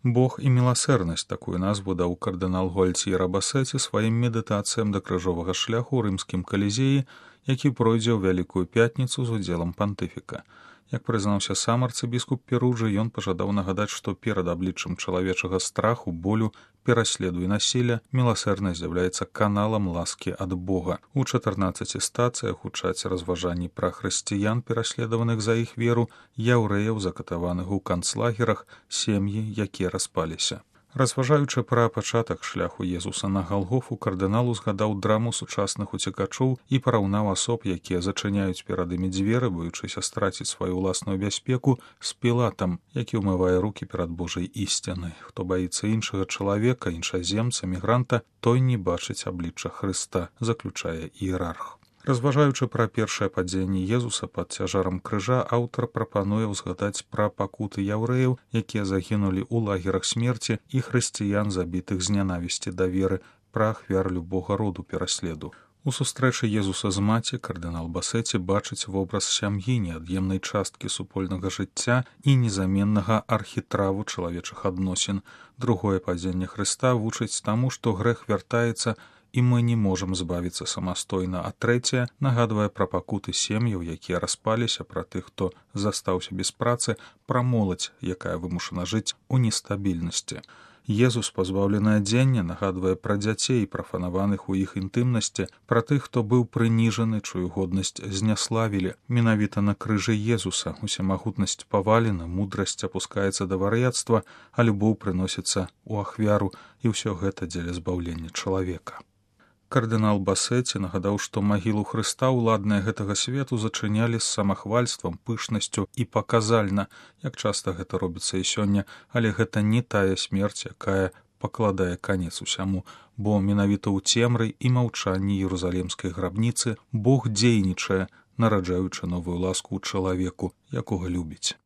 Бог і міласэрнасць, такую назву даў кардынал Гуальціера Басеці сваім медытацыям да крыжовага шляху ў рымскім калізеі, які пройдзе ў Вялікую пятніцу з удзелам пантыфіка. Як прызнаўся сам арцыбіскуп Перуджы, ён пажадаў нагадаць, што перад абліччам чалавечага страху, болю, пераследу і насілля міласэрнасць з'яўляецца каналам ласкі ад Бога. У 14 стацыях гучаць разважанні пра хрысціян, пераследаваных за іх веру, яўрэяў, закатаваных у канцлагерах, сем'і, якія распаліся. Разважаючы пра пачатак шляху Езуса на Галгофу, кардынал узгадаў драму сучасных уцекачоў і параўнаў асоб, якія зачыняюць перад імі дзверы, боючыся страціць сваю ўласную бяспеку, з Пілатам, які ўмывае рукі перад Божай ісцінай. Хто баіцца іншага чалавека, іншаземца, мігранта, той не бачыць аблічча Хрыста, заключае іерарх. Разважаючы пра першае падзенне Езуса пад цяжарам крыжа, аўтар прапануе ўзгадаць пра пакуты яўрэяў, якія загінулі ў лагерах смерці, і хрысціян, забітых з нянавісці да веры, пра ахвяр любога роду пераследу. У сустрэчы Езуса з маці кардынал Басеці бачыць вобраз сям'і, неад'емнай часткі супольнага жыцця і незаменнага архітраву чалавечых адносін. Другое падзенне Хрыста вучыць таму, што грэх вяртаецца, і мы не можам збавіцца самастойна, а трэцяе нагадвае пра пакуты сем'яў, якія распаліся, пра тых, хто застаўся без працы, пра моладзь, якая вымушана жыць у нестабільнасці. Езус, пазбаўлены адзення, нагадвае пра дзяцей, прафанаваных у іх інтымнасці, пра тых, хто быў прыніжаны, чую годнасць зняславілі. Менавіта на крыжы Езуса усемагутнасць павалена, мудрасць апускаецца да вар'яцтва, а любоў прыносіцца ў ахвяру, і ўсё гэта дзеля збаўлення чалавека. Кардынал Басеці нагадаў, што магілу Хрыста ўладныя гэтага свету зачынялі з самахвальствам, пышнасцю і паказальна, як часта гэта робіцца і сёння, але гэта не тая смерць, якая пакладае канец усяму, бо менавіта ў цемры і маўчанні Іерусалімскай грабніцы Бог дзейнічае, нараджаючы новую ласку ў чалавеку, якога любіць.